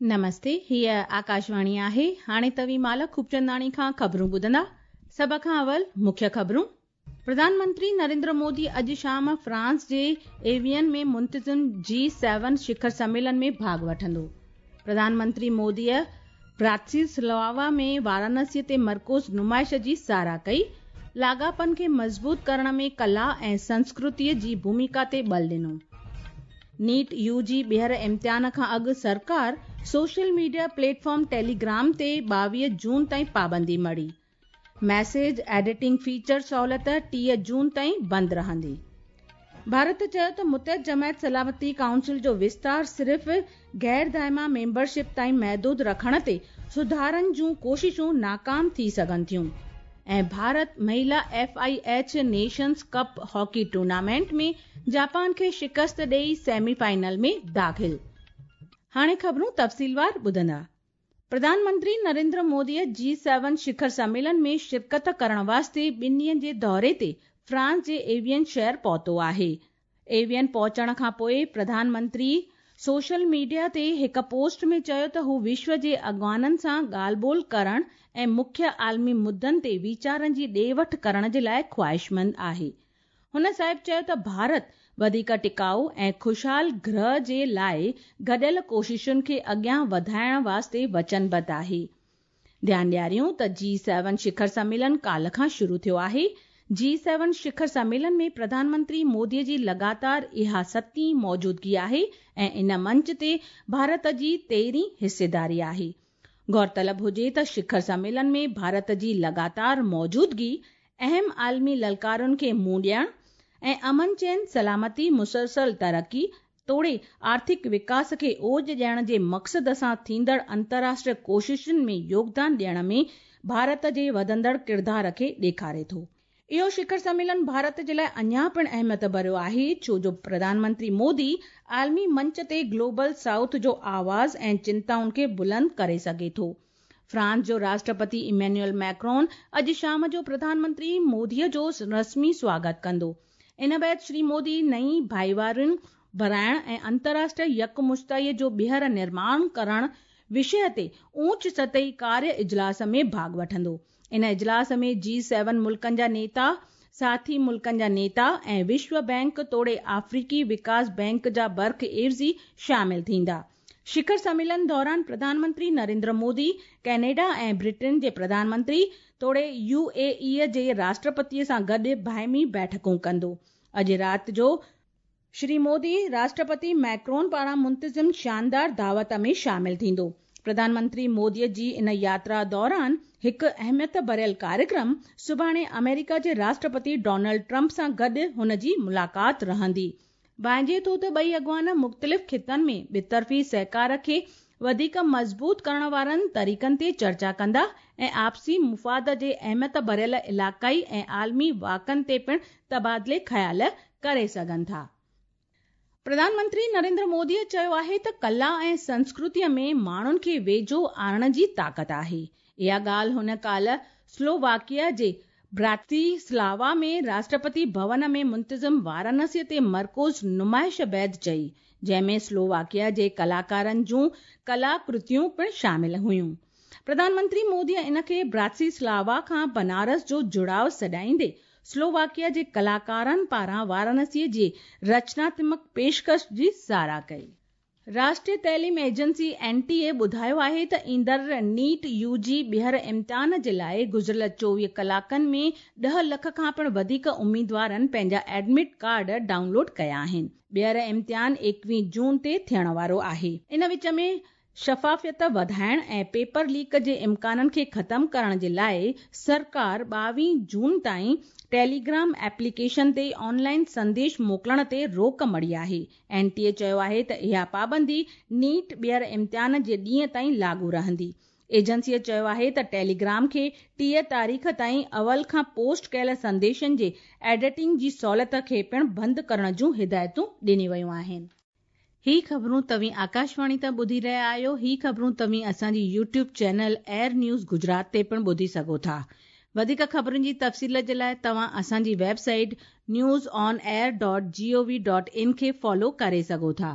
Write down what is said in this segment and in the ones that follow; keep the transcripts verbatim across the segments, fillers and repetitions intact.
نمستي، هيء آڪاشواڻي آهي. هاڻي توهين مالا خوبچنداڻي کان خبرون ٻڌندا. سڀ کان اول مکيه خبرون. پرڌان منتري نريندر مودي اڄ شام فرانس جي ايوين ۾ منتظم جي سيون شکر سميلن ۾ ڀاڳ وٺندو. پرڌان منتري موديء براتيسلاوا ۾ وارانسيء تي مرڪوز نمائش جي ساراهه ڪئي. لاڳاپن کي مضبوط ڪرڻ ۾ ڪلا ۽ سنسڪرتيء جي ڀوميڪا تي ٻل ڏنو. نيٽ يو جي ٻيهر امتحان کان اڳ سرڪار social media plate form Telegram تي ٻاويهه جون تائين پابندي مڙهي. ميسيج ايڊيٽنگ فيچر سهولت ٽيهه جون تائين بند رهندي. ڀارت چيو ته متحده جماعت سلامتي ڪائونسل جو وستار صرف غير دائمي ميمبرشپ تائين محدود رکڻ تي سڌارن جون ڪوششون ناڪام ٿي سگهن ٿيون. ۽ Bharat مهلا F I H Nations Cup hockey tournament ۾ Japan کي شڪست ڏئي سيمي فائنل ۾ داخل. هاڻي خبرون تفصيلوار ٻڌندا. پرڌان منتري نريندر موديء جي سيون شکر سميلن ۾ شرڪت ڪرڻ واسطي ٻن ڏينهن جي دوري تي فرانس جي ايوين شهر پهتو آهي. ايوين پهچڻ کان پوء پرڌان منتري سوشل ميڊيا تي هڪ پوسٽ ۾ چيو ته هو وشو جي اڳواڻن سان ڳالهه ٻولهه ڪرڻ ۽ مکيه عالمي مدن تي ويچارن جي ڏي وٺ ڪرڻ جي لاء خواهشمند آهي. هن صاحب چيو ته ڀارت وڌيڪ ٽڪائو ۽ خوشحال گرهه جي لاء گڏيل ڪوششن کي اڳيان وڌائڻ واسطي وچنبڌ آهي. ڌيان ڏياريون ته جي سيون شکر سميلن ڪالهه کان شروع ٿيو آهي. جي سيون شکر سميلن ۾ پرڌان منتري موديء جي لڳاتار اها ستين موجودگي آهي ۽ ان منچ تي ڀارت جي تيرهين حصيداري آهي. غور طلب هجي ته شکر سميلن ۾ ڀارت جي لڳاتار موجودگي اهم عالمي للڪارن کي منهن ڏيڻ ۽ امن چين، سلامتي، مسلسل ترقي توڙي آرٿڪ وڪاس کي اوج ڏيڻ جي مقصد سان ٿيندڙ انترراشٽريه ڪوششن ۾ يوگدان ڏيڻ ۾ ڀارت جي وڌندڙ ڪردار کي ڏيکاري ٿو. اهو شکر سميلن ڀارت جي لاء اڃا پڻ اهميت ڀريو آهي، ڇو جو پرڌان منتري مودي عالمي منچ تي گلوبل سائوٿ جو آواز ۽ چنتائن کي بلند ڪري سگهي ٿو. فرانس جو راشٽرپتي ايمينوئل ميڪرون اڄ شام جو پرڌان منتري موديء جو رسمي سواگت ڪندو. ان بعد شري مودي نئين ڀائيوارين بڻائڻ ۽ انترراشٽريه يڪمشتائيء جو ٻيهر نرماڻ ڪرڻ وشيه تي اوچ سطحي ڪاريه اجلاس ۾ ڀاڳ وٺندو. ان اجلاس ۾ جي سيون ملڪن جا نيتا، ساٿي ملڪن جا نيتا ۽ وشو بينڪ توڙي آفريڪي وڪاس بينڪ جا برک عيوضي شامل ٿيندا. شکر سميلن دوران پرڌان منتري نريندر مودي ڪينيڊا ۽ برٽن جي پرڌان منتري توڙي يو اي اي جي راشٽرپتيء سان گڏ باهمي بيٺڪون ڪندو. اڄ رات جو شري مودي راشٽرپتي ميڪرون پاران منتظم شاندار دعوت ۾ شامل ٿيندو. پرڌان منتري موديء جي ان ياترا دوران هڪ اهميت ڀريل ڪاريڪرم سڀاڻي آمريڪا جي راشٽرپتي ڊونلڊ ٽرمپ سان گڏ هن جي ملاقات رهندي. ڀانئجي ٿو ته ٻئي اڳواڻ مختلف خطن ۾ ٻطرفي سهڪار کي وڌيڪ مضبوط ڪرڻ وارن طريقن تي چرچا ڪندا ۽ آپسي مفاد جي اهميت ڀريل علائقائي ۽ عالمي واقعن تي پڻ تبادلي خيال ڪري سگهن ٿا. پرڌان منتري نريندر موديء چيو آهي ته ڪلا ۽ سنسڪرتيء ۾ ماڻهن کي ويجهو آڻڻ جي طاقت آهي. اها ڳالهه هن ڪالهه سلوواڪيا جي براتيسلاوا ۾ راشٽرپتي ڀون ۾ منتظم وارانسيء تي مرڪوز نمائش بعد چئي، جنهن ۾ سلوواڪيا جي ڪلاڪارن جون ڪلاڪرتيون پڻ شامل هيون. پرڌان منتري موديء ان کي براتيسلاوا کان بنارس جو جڙاءُ سڏائيندي سلوواڪيا جي ڪلاڪارن پاران وارانسيء جي رچناتمڪ پيشڪش جي ساراهه ڪئي. راشٽريه تعليم ايجنسي اين ٽي اي ٻڌايو آهي ته ايندڙ نيٽ يو جي ٻيهر امتحان جي لاء گذريل چوويهه ڪلاڪن ۾ ڏهه لک کان پڻ وڌيڪ اميدوارن پنهنجا ايڊمٽ ڪارڊ ڊائونلوڊ ڪيا آهن. ٻيهر امتحان ايڪويهه جون تي ٿيڻ وارو آهي. ان وچ ۾ شفافيت وڌائڻ ۽ پيپر ليڪ جي امڪانن کي ختم ڪرڻ جي لاء سرڪار ٻاويهه جون تائين ٽيليگرام ايپليڪيشن تي آن لائن سنديش موڪلڻ تي روڪ مڙهي آهي. اين ٽي اي چيو آهي ته اها پابندي نيٽ ٻيهر امتحان جي ڏينهن تائين لاڳو رهندي. ايجنسيء چيو آهي ته ٽيليگرام کي ٽيهه تاريخ تائين اول کان پوسٽ ڪيل سنديشن جي ايڊيٽنگ جي سهولت کي پڻ بند ڪرڻ جون هدايتون ڏنيون ويون آهن. هي خبرون توهين آڪاشواڻي تان ٻڌي رهيا آهيو. هي خبرون توهين اسان جي YouTube channel AIR News Gujarat تي پڻ ٻڌي سگهو ٿا. وڌيڪ خبرن جي تفصيل جي لاء توهان اسان جي website news on air dot G O V dot in کي فالو ڪري سگهو ٿا.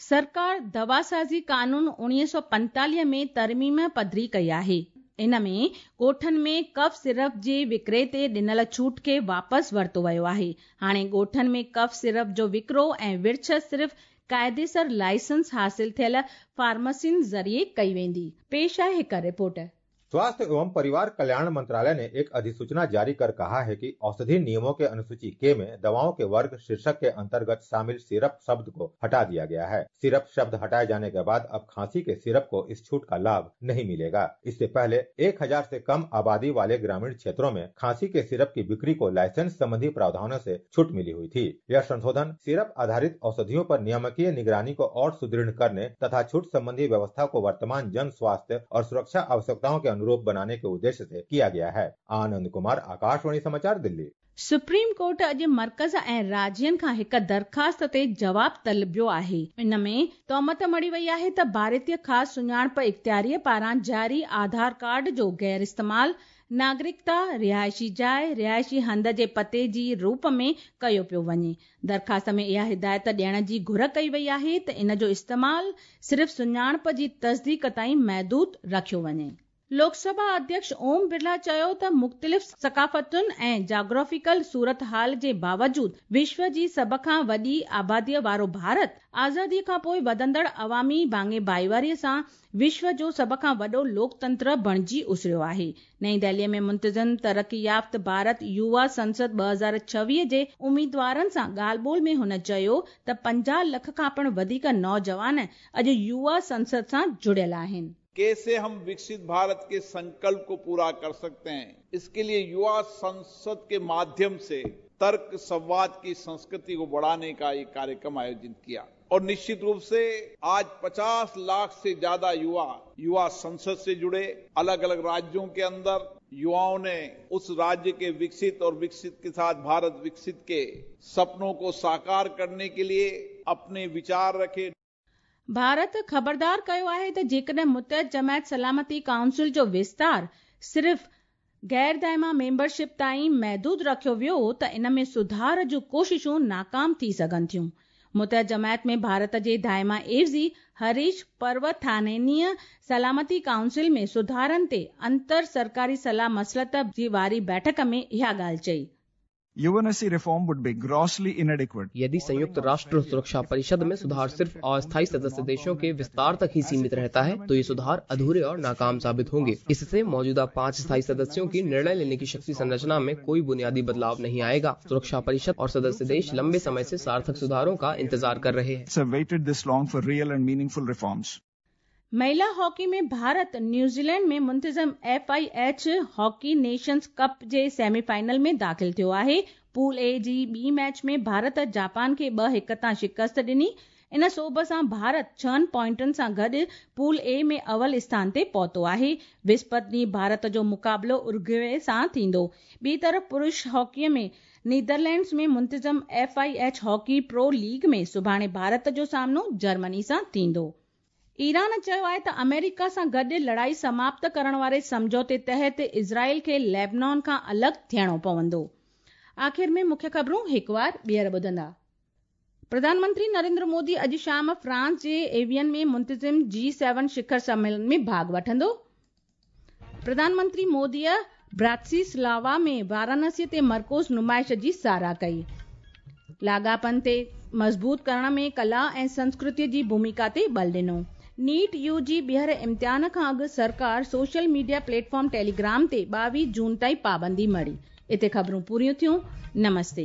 सरकार दवासाज़ी कानून उणिवीह सौ पंतालीह में तरमीम पधरी कई आहे। इन में ॻोठनि में कफ सिरप जे विकिरे ते ॾिनल छूट खे वापसि वरितो वियो आहे। हाणे ॻोठनि में कफ सिरप जो विकिरो ऐं विर्छ सिर्फ़ क़ाइदेसर लाइसेंस हासिल थियल फार्मेसियुनि ज़रिए कई वेंदी। पेश आहे हिकु रिपोर्ट। स्वास्थ्य एवं परिवार कल्याण मंत्रालय ने एक अधिसूचना जारी कर कहा है कि औषधि नियमों के अनुसूची के में दवाओं के वर्ग शीर्षक के अंतर्गत शामिल सिरप शब्द को हटा दिया गया है। सिरप शब्द हटाए जाने के बाद अब खांसी के सिरप को इस छूट का लाभ नहीं मिलेगा। इससे पहले एक हजार से कम आबादी वाले ग्रामीण क्षेत्रों में खांसी के सिरप की बिक्री को लाइसेंस संबंधी प्रावधानों से छूट मिली हुई थी। यह संशोधन सिरप आधारित औषधियों पर नियामकीय निगरानी को और सुदृढ़ करने तथा छूट संबंधी व्यवस्था को वर्तमान जन स्वास्थ्य और सुरक्षा आवश्यकताओं के अनुरूप बनाने के उद्देश्य से किया गया है। आनंद कुमार, आकाशवाणी समाचार, दिल्ली। सुप्रीम कोर्ट अॼु मर्कज़ ऐं राज्यनि खां हिकु दरख़्वास्त ते जवाब तलबियो आहे। इन में तोहमत मढ़ी वई आहे त भारतीय ख़ासि सुञाणप इख़्तियारीअ पारां जारी आधार कार्ड जो गैर इस्तेमाल नागरिकता, रिहायशी जाइ, रिहायशी हंध जे पते जी रूप में कयो पियो वञे। दरख़्वास्त में इहा हिदायत ॾियण जी घुर कई वई आहे त इन जो इस्तेमाल सिर्फ़ सुञाणप जी तस्दीक ताईं महदूद रखियो वञे। लोकसभा अध्यक्ष ओम बिरला चयो त मुख़्तलिफ़ सकाफ़तुनि ऐं जोग्राफिकल सूरत हाल जे बावजूद विश्व जी सभ खां वॾी आबादीअ वारो भारत आज़ादीअ खां पोइ वधंदड़ अवामी भाङे भाईवारीअ सां विश्व जो सभ खां वॾो लोकतंत्र बणिजी उसरियो आहे। नई दिल्लीअ में मुंतज़िम तरक़ी याफ़्त भारत युवा संसद ॿ हज़ार छवीह जे उम्मीदवारनि सां ॻाल्हि ॿोल में हुन चयो त पंजाह लख खां पिणु वधीक नौजवान अॼु युवा संसद सां जुड़ियल आहिनि। कैसे हम विकसित भारत के संकल्प को पूरा कर सकते हैं, इसके लिए युवा संसद के माध्यम से तर्क संवाद की संस्कृति को बढ़ाने का एक कार्यक्रम आयोजित किया और निश्चित रूप से आज पचास लाख से ज्यादा युवा युवा संसद से जुड़े। अलग अलग राज्यों के अंदर युवाओं ने उस राज्य के विकसित और विकसित के साथ भारत विकसित के सपनों को साकार करने के लिए अपने विचार रखे। भारत ख़बरदार कयो आहे त जेकॾहिं मुतहद जमायत सलामती काउंसिल जो विस्तार सिर्फ़ गैर दाइमा मेंबरशिप ताईं महदूद रखियो वियो त इन में सुधार जूं कोशिशूं नाकाम थी सघनि थियूं। मुतहद जमायत में भारत जे दाइमा एवज़ी हरीश पर्वथानेनीअ सलामती काउंसिल में सुधारनि ते अंतर सरकारी सलाह मसलत जी वारी बैठक में इहा ॻाल्हि चई। U N S C reform would be grossly inadequate. यदि संयुक्त राष्ट्र सुरक्षा परिषद में सुधार सिर्फ अस्थायी सदस्य देशों के विस्तार तक ही सीमित रहता है तो ये सुधार अधूरे और नाकाम साबित होंगे। इससे मौजूदा पांच स्थायी सदस्यों की निर्णय लेने की शक्ति संरचना में कोई बुनियादी बदलाव नहीं आएगा। सुरक्षा परिषद और सदस्य देश लंबे समय से सार्थक सुधारों का इंतजार कर रहे हैं। महिला हॉकी में भारत न्यूजीलैंड में मुंतज़िम F I H hockey nations cup J semifinal में दाख़िल थियो आहे। पूल ए जी ॿी मैच में भारत जापान खे ॿ हिकु तां शिकस्त ॾिनी। इन सोभ सां भारत छहनि पॉइंटनि सां गॾु पूल ए में अवल स्थान ते पहुतो आहे। विस्पत ॾींहुं भारत जो मुक़ाबिलो उरुग्वे सां थींदो। ॿी तरफ़ पुरुष हॉकीअ में नीदरलैंड्स में मुंतज़िम F I H hockey pro league में सुभाणे भारत जो सामनो जर्मनी सां थींदो। ईरान चयो आहे त अमेरिका सां गॾु लड़ाई समाप्त करण वारे सम्झौते तहत इज़राइल खे लेबनान खां अलॻि थियणो पवंदो। आख़िर में मुख्य ख़बरूं हिकु वार ॿीहर ॿुधंदा। प्रधानमंत्री नरेंद्र मोदी अॼु शाम फ्रांस जे एवियन में मुंतज़िम जी सेवन शिखर सम्मेलन में भाॻ वठंदो। प्रधानमंत्री मोदीअ ब्रातिस्लावा में वाराणसी ते मर्कोज़ नुमाइश जी सराह कई। लाॻापनि ते मज़बूत करण में कला ऐं संस्कृतीअ जी भूमिका ते बल ॾिनो। नीट यू जी ॿीहर इम्तिहान खां अॻु सरकार सोशल मीडिया प्लेटफॉर्म टेलीग्राम ते ॿावीह जून ताईं पाबंदी मढ़ी। हिते ख़बरूं पूरियूं थियूं। नमस्ते।